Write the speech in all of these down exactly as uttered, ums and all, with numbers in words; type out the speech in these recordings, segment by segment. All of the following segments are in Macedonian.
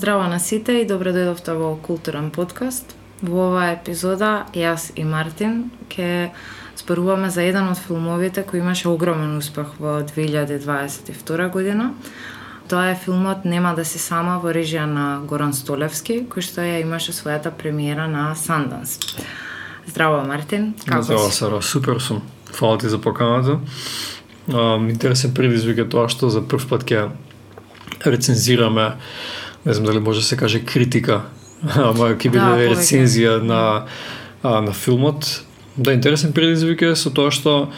Здраво на сите и добре дојдовте во Културен подкаст. Во оваа епизода јас и Мартин ќе зборуваме за еден од филмовите кој имаше огромен успех во две илјади дваесет и втора година. Тоа е филмот Нема да си сама во режија на Горан Столевски, кој што ја имаше својата премиера на Санданс. Здраво, Мартин, како Здраво, си? Сара, супер сум. Фала ти за поканата. Интересен предизвик е тоа што за прв пат ќе рецензираме, не знам дали може да се каже критика, ама ќе биде Да, рецензија на, а, на филмот. Да, интересен предизвик е со тоа што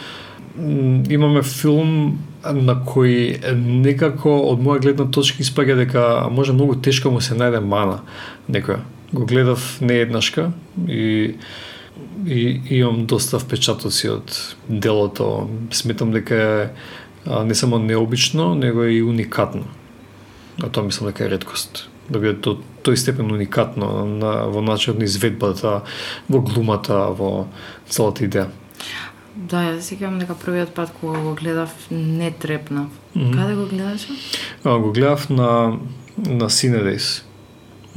м, имаме филм на кој некако од моја гледна точка испаѓа дека може многу тешко му се најде мана некоја. Го гледав не еднашка и и имам доста впечатоци од делото. Сметам дека е а, не само необично, него е и уникатно. А тоа мислам дека е реткост. Да биде до тој степен уникатно на, во начинот на изведбата, во глумата, во целата идеја. Да, јас сеќавам дека првиот пат кога го гледав не трепнав. Мгм. Каде го гледаше? А, го гледав на на Cinedis.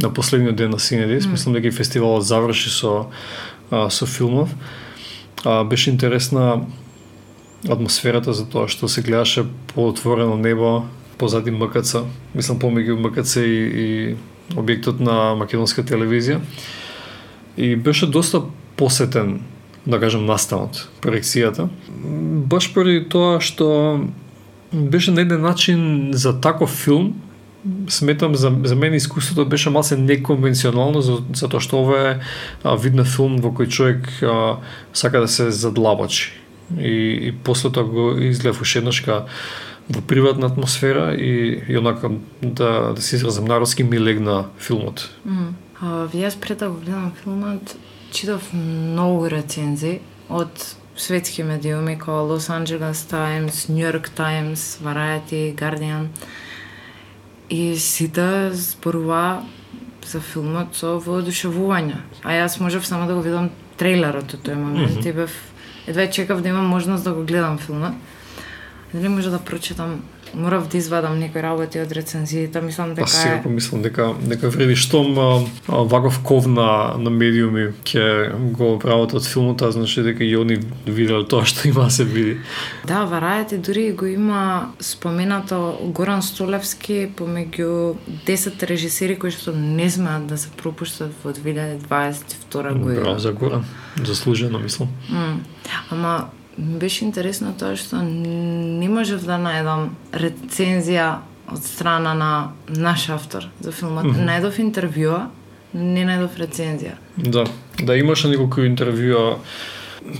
На последниот ден на Cinedis, Мм. мислам дека и фестивалот заврши со а, со филмов. А, беше интересна атмосферата за тоа што се гледаше по отворено небо, позади М К Ц, мислам помеѓу М К Ц и, и објектот на македонска телевизија. И беше доста посетен, да кажем, настанот, проекцијата. Баш поради тоа што беше на еден начин за таков филм, сметам за, за мене искуството беше малце неконвенционално, за, затоа што ова е а, вид на филм во кој човек а, сака да се задлабочи. И, и после тоа го изгледав уште еднашка во приватна атмосфера и, и онака да, да се изразам народски ми легна филмот. Мм. А, јас пред да го гледам филмот, читав многу рецензии од светски медиуми како Лос Анџелес Таймс, Нью Йорк Таймс, Variety, Guardian. И сите зборува за филмот со воодушевување. А јас можев само да го видам трейлерот од тој момент Мгм. и бев едва чекав да имам можност да го гледам филмот. Дали може да прочитам, морав да извадам некои работи од рецензиите, мислам дека Па сега е... помислам дека дека вреди штом а, а, ваков ков на, на медиуми ќе го прават од филмот, а значи дека и они виделе тоа што има да се види. Да, Variety дури го има споменато Горан Столевски помеѓу десет режисери кои што не смеат да се пропуштат во две илјади дваесет и втора година. Браво за Горан. Заслужено, мислам. М. Ама ми беше интересно тоа што не можев да најдам рецензија од страна на наш автор за филмот. Мгм. Најдов интервјуа, не најдов рецензија. Да, да имаше неколку интервјуа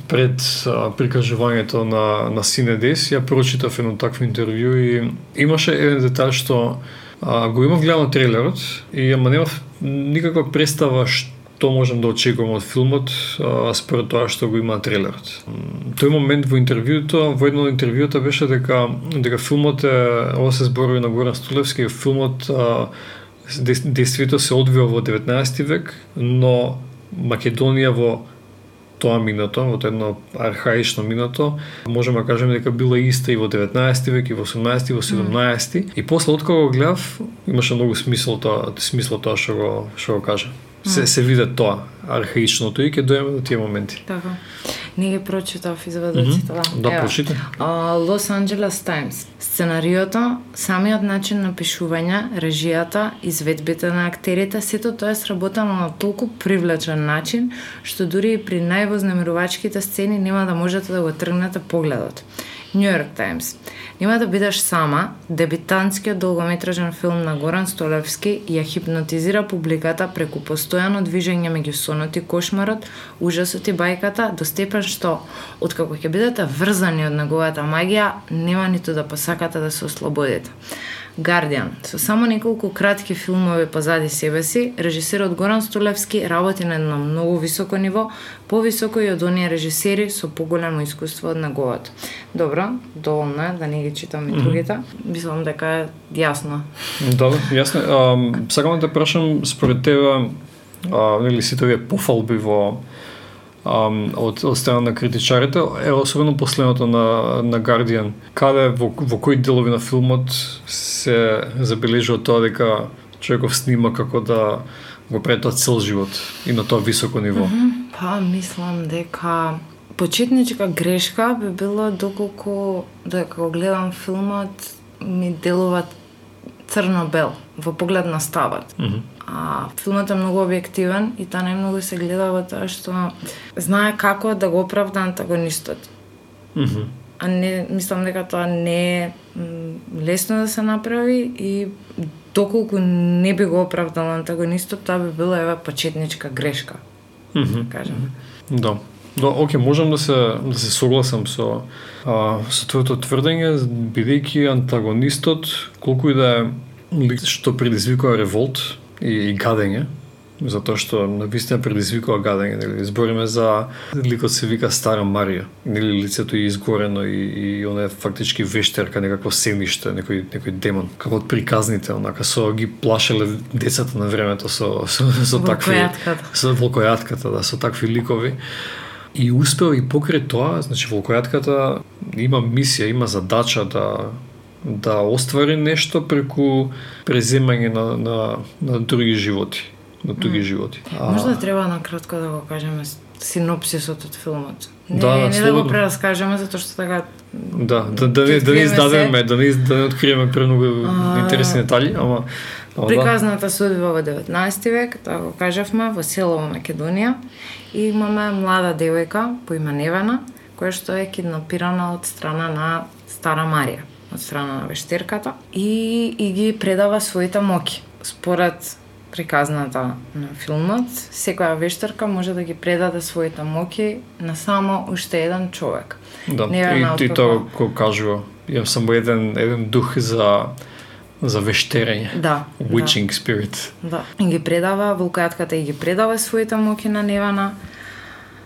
пред а, прикажувањето на на Cinedis. Ја прочитав едно такво интервју и имаше еден детај што а, го имав гледано трейлерот и ама немав никаква представа што можам да очекувам од филмот а, според тоа што го има трейлерот. М, Тој момент во интервјуто, во едно од интервјута беше дека дека филмот е, ова се зборови на Горан Столевски, филмот а, дес- действително се одвива во деветнаесети век, но Македонија во тоа минато, во тоа едно архаично минато, можеме да кажеме дека била иста и во деветнаесети век, и во осумнаесети, и во седумнаесети. И после од кога го гледав, имаше многу смисол тоа, смисол тоа што го што го кажа. Се се виде тоа архаичното и ќе дојдеме до тие моменти. Така. Не ги прочитав извадоците, да. Да, Ева. прочита. Лос Анџелес Таймс. Сценариото, самиот начин на пишување, режијата, изведбите на актерите, сето тоа е сработено на толку привлечен начин, што дури и при највознемирувачките сцени нема да можете да го тргнете погледот. Нью Йорк Таймс. Нема да бидеш сама, дебитантскиот долгометражен филм на Горан Столевски ја хипнотизира публиката преку постојано движење меѓу сонот и кошмарот, ужасот и бајката, до степен што, откако ќе бидете врзани од неговата магија, нема ниту да посакате да се ослободите. Guardian. Со само неколку кратки филмови позади себе си, режисерот Горан Столевски работи на едно многу високо ниво, повисоко и од оние режисери со поголемо искуство од неговото. Добро, доволно е да не ги читам и другите. Мислам дека е јасно. Да, да, јасно. А, сакам да те прашам според тебе, а, нели сите овие пофалби во um, од, од страна на критичарите, е особено последното на, на Guardian, каде во, во кои делови на филмот се забележува тоа дека човеков снима како да го прави тоа цел живот и на тоа високо ниво? Mm-hmm. Па, мислам дека почетничка грешка би било доколку додека го гледам филмот ми делува црно-бел во поглед на ставот. Mm-hmm. А филмот е многу објективен и тоа најмногу се гледа во тоа што знае како да го оправда антагонистот. Mm-hmm. А не, мислам дека тоа не е лесно да се направи и доколку не би го оправдал антагонистот, тоа би била ева почетничка грешка. Mm-hmm. Да кажем. Да. Да, оке, можам да се да се согласам со а, со твоето тврдење, бидејќи антагонистот колку и да е лик што предизвикува револт и, и гадење, затоа што навистина предизвикува гадење, нели? Збориме за ликот се вика Стара Марија, нели лицето е изгорено и и она е фактички вештерка, некакво сениште, некој некој демон, како од приказните, онака со ги плашеле децата на времето со со, со такви со волкојатката, да, со такви ликови. И успел и покрај тоа, значи волкојатката има мисија, има задача да да оствари нешто преку преземање на на на други животи, на други mm. животи. А... Можда треба накратко да го кажеме синопсисот од филмот. Не, да, не да го прераскажеме затоа што така Да, да да не да не издадеме, да не да не откриеме премногу а... интересни детали, ама приказната судба во деветнаесети век, тоа го кажавме, во село во Македонија, и имаме млада девојка по име Невена, која што е киднапирана од страна на Стара Марија, од страна на вештерката, и, и ги предава своите моки. Според приказната на филмот, секоја вештерка може да ги предаде своите моки на само уште еден човек. Да, Невена и, и тоа го кажува. Имам само еден, еден дух за за вештерење. Да. Witching да. spirit. Да. И ги предава, волкојатката и ги предава своите моки на Невена,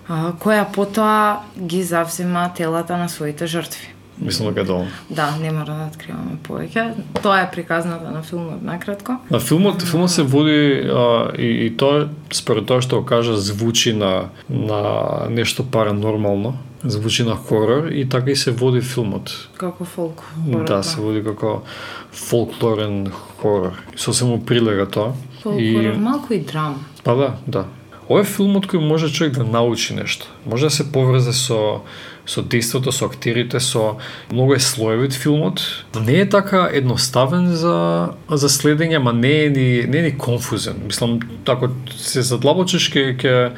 а, која потоа ги завзема телата на своите жртви. Мислам дека е долно. Да, не мора да откриваме повеќе. Тоа е приказната на филмот накратко. На филмот, филмот се води а, и, и тоа според тоа што го кажа звучи на на нешто паранормално, звучи на хорор и така и се води филмот. Како фолк хорор. Да, се води како фолклорен хорор. Сосем му прилега тоа. Фолк хорор, малку и драма. Па да, да. Ова е филмот кој може човек да научи нешто. Може да се поврзе со со действото, со актерите, со многу е слоевит филмот. Не е така едноставен за за следење, ама не е ни не е ни конфузен. Мислам, ако се задлабочиш ќе ќе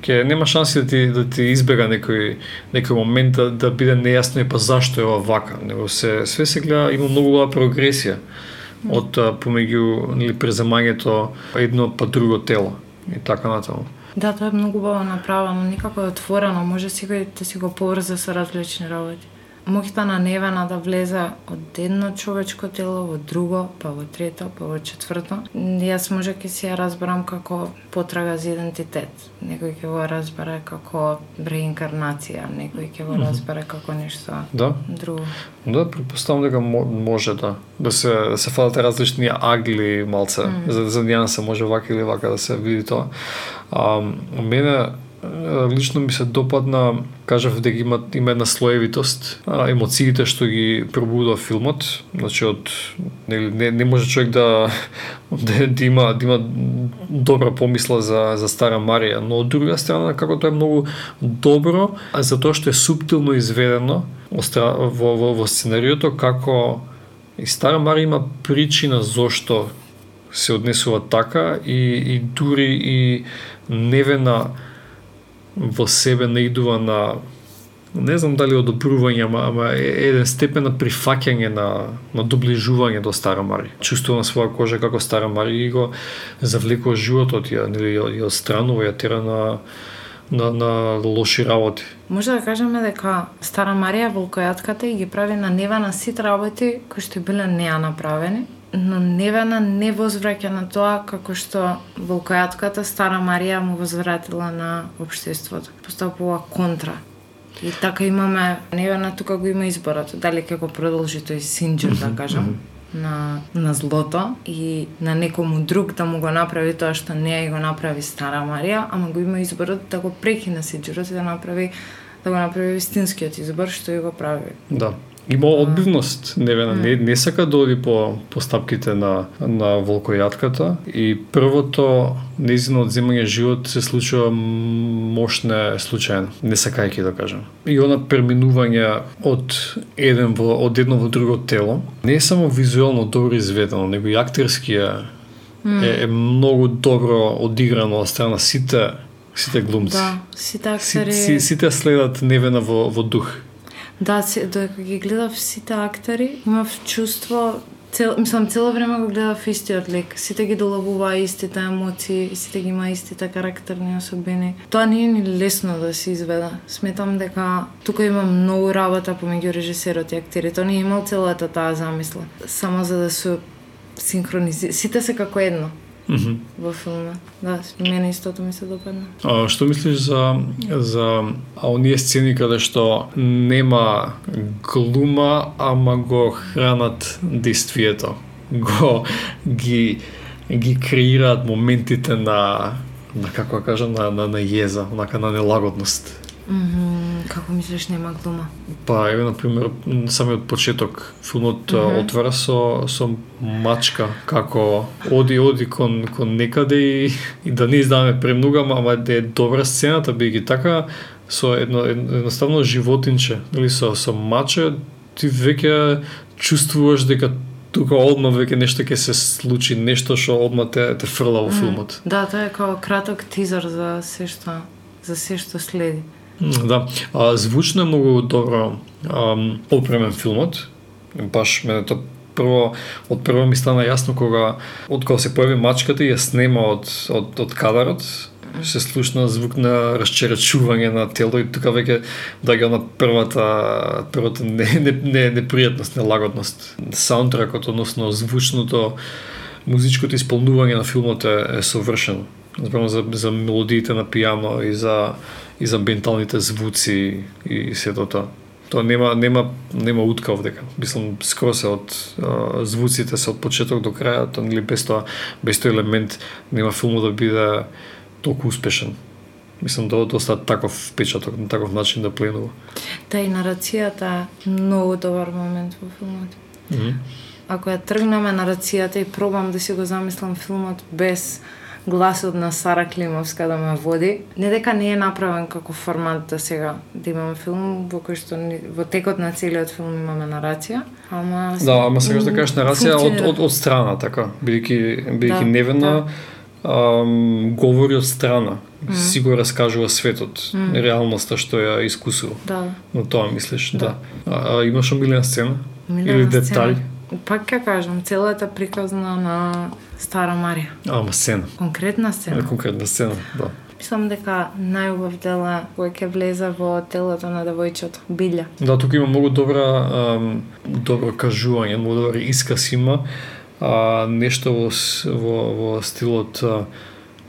ќе нема шанси да ти да ти избега некој некој момент да, да биде нејасно и па зашто е ова вака. Него се све се гледа, има многу голема прогресија од помеѓу нели преземањето едно па друго тело и така натаму. Да, тоа е многу убаво направено, никако е отворено, може секој да си го поврзе со различни работи. Моките на Невена да влезе од едно човечко тело во друго, па во трето, па во четврто. Јас може ќе си ја разберам како потрага за идентитет. Некој ќе го разбере како реинкарнација, некој ќе го разбере како нешто да. друго. Да, претпоставам дека може да да се да се фалат различни агли малце, mm. за за да се може вака или вака да се види тоа. А мене лично ми се допадна, кажав дека има има една слоевитост, а, емоциите што ги пробудува филмот, значи од не, не, не може човек да да, да има да има добра помисла за за Стара Марија, но од друга страна како тоа е многу добро, а затоа што е суптилно изведено во во, во сценариото, како и Стара Марија има причина зошто се однесува така и и дури и Невена во себе наидува на, не знам дали одобрување, ама, ама еден степен на прифаќање на, на доближување до Стара Марија. Чувствува на своја кожа како Стара Марија и го завлекува животот, ја, нели, ја отстранува, ја тера на, на, на лоши работи. Може да кажеме дека Стара Марија, волкојатката, и ги прави на Невена сите работи кои што биле неа направени, но Невена не возвраќа на тоа како што волкојатката Стара Марија му возвратила на општеството. Постапува контра. И така имаме Невена тука го има изборот, дали ќе го продолжи тој синџир, да кажам, на на злото и на некому друг да му го направи тоа што неа и го направи Стара Марија, ама го има изборот да го прекине синџирот и да направи да го направи вистинскиот избор што и го прави. Да. Има одбивност, Невена, mm. не, не сака да оди по, по стапките на, на волкојатката и првото нејзино одземање живот се случува мошне случајно, не сакајќи да кажем. И она преминување од еден во, од едно во друго тело, не е само визуелно добро изведено, него и актерскија mm. е, е многу добро одиграно од страна сите сите глумци. Да, сите актери. Сите, сите следат Невена во, во дух. Да, додека ги гледав сите актери, имав чувство, цел, мислам, цело време го гледав истиот лик. Сите ги доловува истите емоции, сите ги има истите карактерни особини. Тоа не е ни лесно да се изведа. Сметам дека тука има многу работа помеѓу режисерот и актерите. Тој не е имал целата таа замисла. Само за да се синхронизира. Сите се како едно. Mm-hmm. Во филма. Да, мене истото ми се допадна. А што мислиш за за а оние сцени каде што нема глума, ама го хранат действието? Го ги ги креираат моментите на на како да кажам на на, на језа, онака на нелагодност. Mm-hmm. Како мислиш нема глума? Па, еве, например, самиот почеток, филмот mm-hmm. отвара со, со мачка, како оди, оди кон, кон некаде и, и да не издаваме премногу, ама да е добра сцената, бијќи така, со едно, едноставно животинче, или со, со маче, ти веќе чувствуваш дека тука одма веќе нешто ќе се случи, нешто што одма те, те фрла во филмот. Mm. Да, тоа е како краток тизер за се што, за се што следи. Да, а, звучно е многу добро ам, опремен филмот. Баш мене тоа прво од прво ми стана јасно кога од кога се појави мачката и ја снема од од од кадарот, се слушна звук на расчеречување на тело и тука веќе доаѓа на првата првата не не не непријатност, нелагодност. Саундтракот, односно звучното музичкото исполнување на филмот е, е совршено. Зборам за за мелодиите на пијано и за и за амбиенталните звуци и сето тоа. Тоа нема нема нема уткав дека. Мислам скоро се од а, звуците се од почеток до крај, тоа нели без тоа без тој елемент нема филмот да биде толку успешен. Мислам да доста таков впечаток, на таков начин да пленува. Та и нарацијата е многу добар момент во филмот. Mm-hmm. Ако ја тргнеме нарацијата и пробам да си го замислам филмот без гласот на Сара Климовска да ме води. Не дека не е направен како формат да сега да имаме филм во кој што во текот на целиот филм имаме нарација, ама да, ама сега да кажеш нарација од, од од страна така, бидејќи бидејќи да, Невена да. ам, говори од страна, mm. си го раскажува светот, mm. реалноста што ја искусува. Да. Но тоа мислиш, да. да. А, а имаш омилена сцена? Милена или детали? Пак ќе кажам, целата приказна на Стара Марија. Ама сцена. Конкретна сцена. Конкретна сцена, да. Мислам дека најубав дел е кој ќе влезе во телото на девојчето, Билја. Да, тука има многу добра ам, добро кажување, многу добар исказ има, а, нешто во во, во стилот а,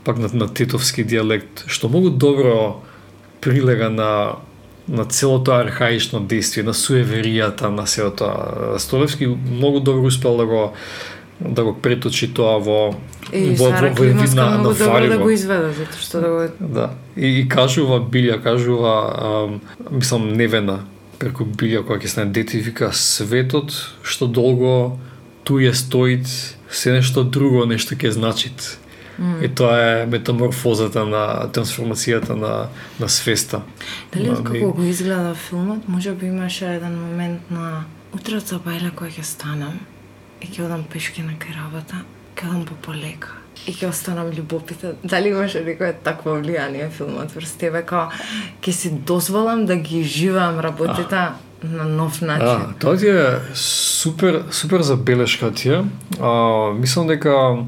пак на, на тетовски дијалект, што многу добро прилега на на целото архаично действие, на суеверијата, на селото. Столевски многу добро успел да го да го преточи тоа во и во Сара во Климовска на многу добро да Вариво. го изведе, затоа што да го Да. И, и кажува Билја, кажува ам, мислам Невена преку Билја кога ќе стане дете и вика светот што долго ту е стоит, се нешто друго нешто ќе значит. Mm. И тоа е метаморфозата на трансформацијата на на свеста. Дали на, како го изгледа филмот, може би имаше еден момент на утре од Бајле кој ќе станам и ќе одам пешки на кај работа, ќе одам по полека и ќе останам љубопитен. Дали имаше некое такво влијание филмот врз тебе, као ќе си дозволам да ги живеам работите а. на нов начин. А, тоа ти е супер супер забелешка ти е. А, мислам дека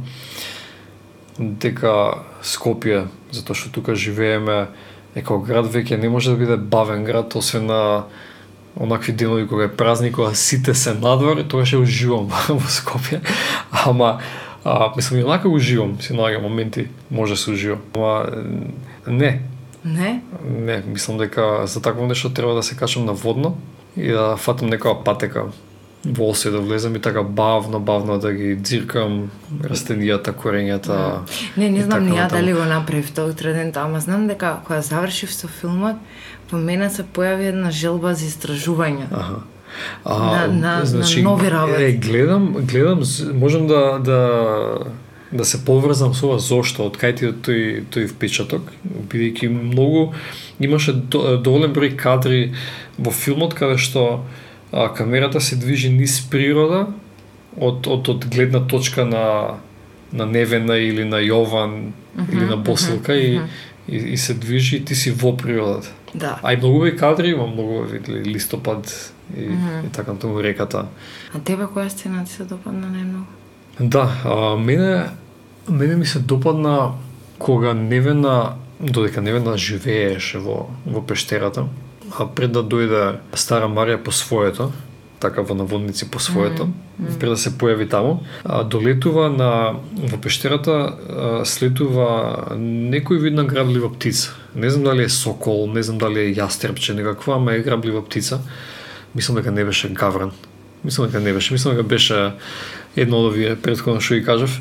дека Скопје, затоа што тука живееме, е како град веќе не може да биде бавен град, освен на онакви денови кога е празник, кога сите се надвор, тогаш ќе уживам во Скопје. Ама, а, мислам, и онака уживам, си наоѓам моменти, може да се уживам. Ама, не. Не? Не, мислам дека за такво нешто треба да се качам на водно и да фатам некоја патека во Осој да влезам и така бавно, бавно да ги дзиркам растенијата, корењата. Не, не знам ни ја дали го направив тоа утре ден, ама знам дека кога завршив со филмот, во мене се појави една желба за истражување. Аха. А, на, на, значи, на нови работи. Е, гледам, гледам, можам да да да се поврзам со ова зошто, од кај ти тој тој впечаток, бидејќи многу имаше до, доволен број кадри во филмот каде што а, камерата се движи низ природа од од од гледна точка на на Невена или на Јован uh-huh, или на Босилка uh-huh, и, и и се движи и ти си во природата. Да. А и многу и кадри, има многу видели листопад и, mm-hmm. и така натаму реката. А тебе која сцена ти се допадна најмногу? Да, а, мене мене ми се допадна кога Невена, додека Невена живееше во во пештерата, а пред да дојде Стара Марија по своето, така во наводници по своето, mm-hmm. пред да се појави таму, а, долетува на во пештерата, а, слетува некој вид на граблива птица. Не знам дали е сокол, не знам дали е јастребче, некаква, ама е граблива птица. Мислам дека не беше гавран. Мислам дека не беше. Мислам дека беше едно од овие претходно што ги кажав.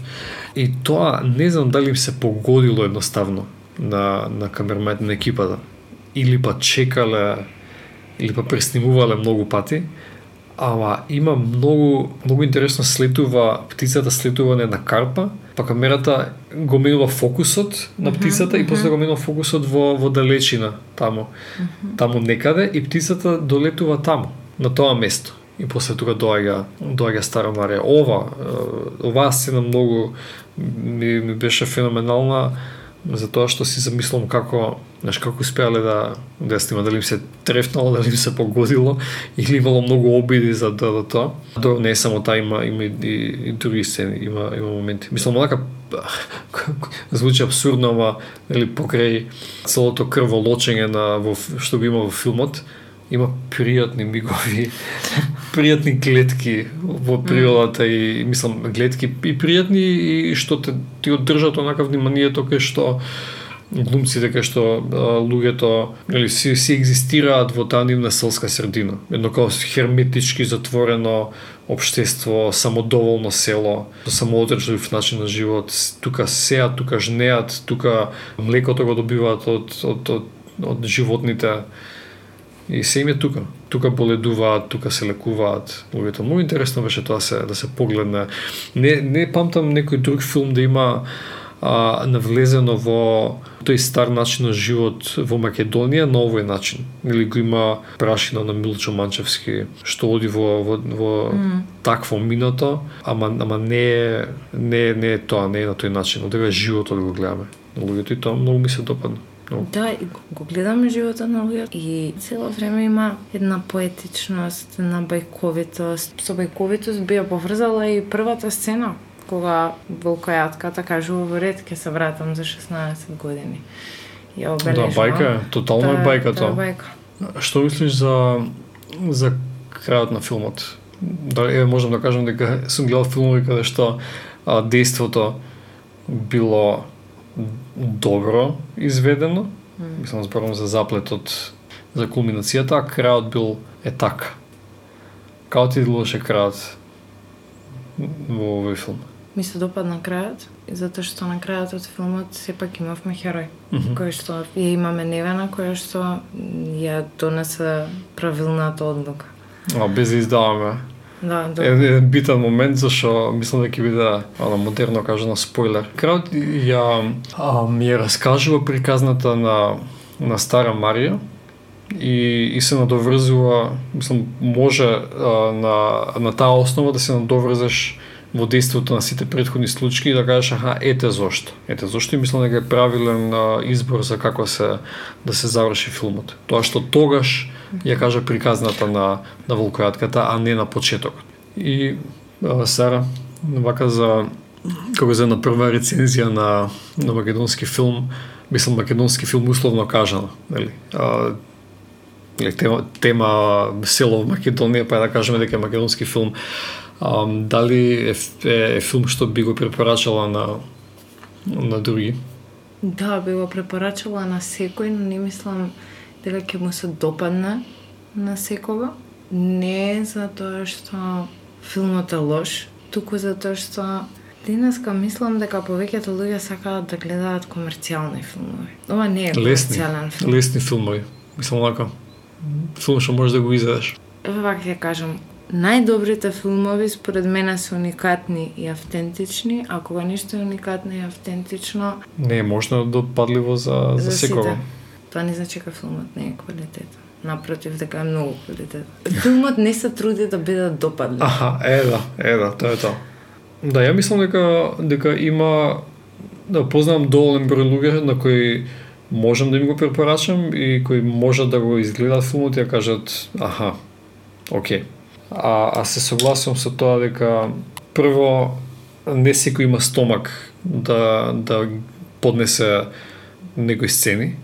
И тоа не знам дали им се погодило едноставно на на камерманите на екипата, или па чекале, или па преснимувале многу пати. Ама има многу многу интересно, слетува птицата, слетува на една карпа, па камерата го менува фокусот на птицата uh-huh, и после uh-huh. го менува фокусот во во далечина таму. Uh-huh. Таму некаде и птицата долетува таму, на тоа место. И после тоа доаѓа доаѓа Стара Марија. Ова оваа сцена многу ми, ми беше феноменална, затоа што си замислам како, знаеш, како успеале да да снима, дали им се трефнало, дали им се погодило или имало многу обиди за да, да тоа. Добро, не е само таа, има има и, и други сцени, има има моменти. Мислам онака звучи апсурдно, ама нели покрај целото крволочење на во што го има во филмот, има пријатни мигови, пријатни гледки во природата и мислам гледки и пријатни и што те ти одржат онака вниманието кај што глумците, кај што а, луѓето или си си екзистираат во таа нивна селска средина. Едно како херметички затворено општество, самодоволно село, со самоодржлив начин на живот. Тука сеат, тука жнеат, тука млекото го добиваат од од од, од животните. И се им е тука. Тука боледуваат, тука се лекуваат луѓето. Многу интересно беше тоа се да се погледне. Не не памтам некој друг филм да има а, навлезено во тој стар начин на живот во Македонија на овој начин. Или го има прашина на Милчо Манчевски што оди во во, во mm. такво минато, ама ама не е не не е тоа, не е на тој начин. Одега животот го гледаме. Луѓето и тоа многу ми се допадна. No. Да, и го гледаме животот на луѓето и цело време има една поетичност, една бајковитост. Со бајковитост би ја поврзала и првата сцена, кога волкојатката кажува во ред ќе се вратам за шеснаесет години. Ја обележува. Да, бајка, тотално е бајка тоа. Бајка. Што мислиш за за крајот на филмот? Да, е, можам да кажам дека сум гледал филмови каде што а, дејството било добро изведено. Mm. Мислам, зборувам за заплетот, за кулминацијата, а крајот бил е така. Како ти делуваше крајот во овој филм? Ми се допадна крајот, затоа што на крајот од филмот сепак имавме херој, mm-hmm. кој што ја имаме Невена, која што ја донесе правилната одлука. А, без да издаваме. Да, да. Е, е битен момент, зашо мислам дека ќе биде ана модерно кажано спойлер. Крајот ја а, ми ја раскажува приказната на на Стара Марија и и се надоврзува, мислам, може а, на на таа основа да се надоврзеш во дејството на сите претходни случаи и да кажеш аха, ете зошто. Ете зошто и мислам дека е правилен а, избор за како се да се заврши филмот. Тоа што тогаш ја кажа приказната на на волкојатката, а не на почетокот. И а, Сара, вака за кога за на прва рецензија на на македонски филм, мислам македонски филм условно кажано, нели? А, тема, тема село во Македонија, па да кажеме дека е македонски филм. А, дали е, е, е филм што би го препорачала на на други? Да, би го препорачала на секој, но не мислам дека ќе му се допадне на секого. Не затоа што филмот е лош, туку затоа што денеска мислам дека повеќето луѓе сакаат да гледаат комерцијални филмови. Ова не е комерцијален филм. Лесни филмови. Мислам онака. Филм што можеш да го изедеш. еве вака ќе кажам, најдобрите филмови според мене се уникатни и автентични, а кога нешто е уникатно и автентично, не е можно допадливо за за, за секого. Тоа не значи дека филмот не е квалитетен. Напротив, дека е многу квалитетен. Филмот не се труди да биде допадлив. Аха, е да, е да, тоа е тоа. Да, ја мислам дека дека има да познавам доволен број луѓе на кои можам да им го препорачам и кои можат да го изгледат филмот и да кажат аха, окей. А, а се согласувам со тоа дека прво не секој има стомак да да поднесе некои сцени.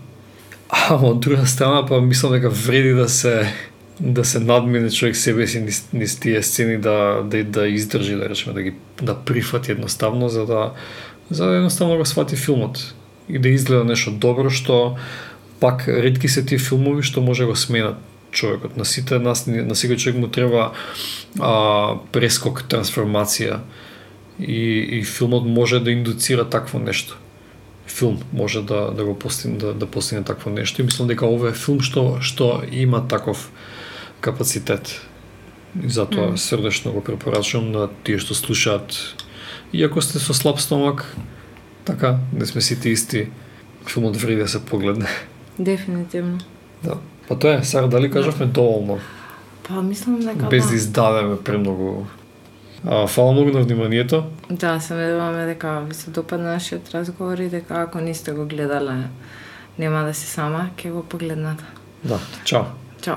А од друга страна па мислам дека вреди да се да се надмине човек себе си низ, низ тие сцени да да да издржи, да речеме, да ги да прифати едноставно за да за да едноставно го свати филмот и да изгледа нешто добро, што пак ретки се тие филмови што може го сменат човекот. На сите нас, на секој човек му треба а, прескок, трансформација и, и филмот може да индуцира такво нешто. Филм може да да го постигне да, да постигне такво нешто и мислам дека ова е филм што што има таков капацитет. И затоа mm. срдечно го препорачувам на тие што слушаат. Иако сте со слаб стомак, така, не сме сите исти, филмот вреди да се погледне. Дефинитивно. Да. Па тоа е, Сара, дали кажавме доволно? Па мислам дека без да издадеме премногу. А, фала многу на вниманието. Да, се надеваме дека ви се допадна нашиот разговор и дека ако не сте го гледале, нема да си сама, ќе го погледнете. Да, чао. Чао.